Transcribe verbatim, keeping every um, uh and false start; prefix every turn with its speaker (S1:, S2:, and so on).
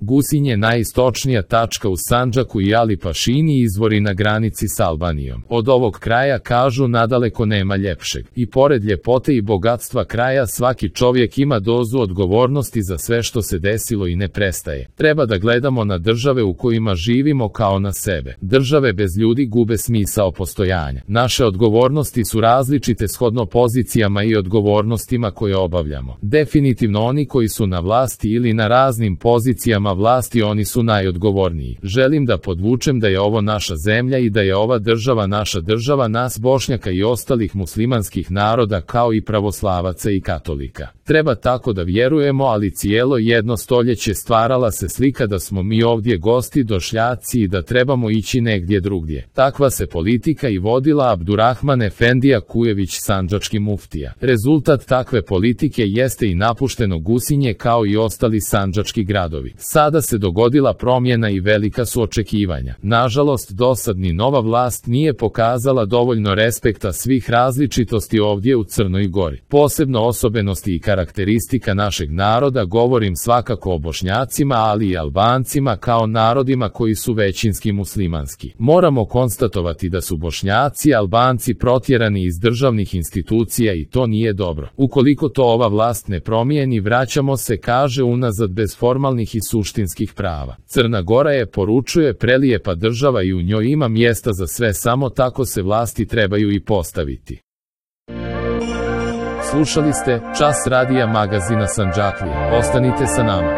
S1: Gusinje najistočnija tačka u Sandžaku i Ali Pašini izvori na granici s Albanijom. Od ovog kraja, kažu, nadaleko nema ljepšeg. I pored ljepote i bogatstva kraja, svaki čovjek ima dozu odgovornosti za sve što se desilo i ne prestaje. Treba da gledamo na države u kojima živimo kao na sebe. Države bez ljudi gube smisao postojanja. Naše odgovornosti su različite shodno pozicijama i odgovornostima koje obavljamo. Definitivno oni koji su na vlasti ili na raznim pozicijama vlasti, oni su najodgovorniji. Želim da podvučem da je ovo naša zemlja i da je ova država naša država, nas Bošnjaka i ostalih muslimanskih naroda, kao i pravoslavaca i katolika. Treba tako da vjerujemo, ali cijelo jedno stoljeće stvarala se slika da smo mi ovdje gosti, došljaci i da trebamo ići negdje drugdje. Takva se politika i vodila Abdurrahman Efendija Kujević, sandžački muftija. Rezultat takve politike jeste i napušteno Gusinje kao i ostali sandžački gradovi. Sada se dogodila promjena i velika su očekivanja. Nažalost, dosad ni nova vlast nije pokazala dovoljno respekta svih različitosti ovdje u Crnoj Gori. Posebno osobenosti i karakteristika našeg naroda, govorim svakako o Bošnjacima, ali i Albancima kao narodima koji su većinski muslimanski. Moramo konstatovati da su Bošnjaci i Albanci protjerani iz državnih institucija i to nije dobro. Ukoliko to ova vlast ne promijeni, vraćamo se, kaže, unazad bez formalnih i suštinskih prava. Crna Gora je, poručuje, prelijepa država i u njoj ima mjesta za sve, samo tako se vlasti trebaju i postaviti. Slušali ste Čas radija magazina Sandžaklija. Ostanite sa nama.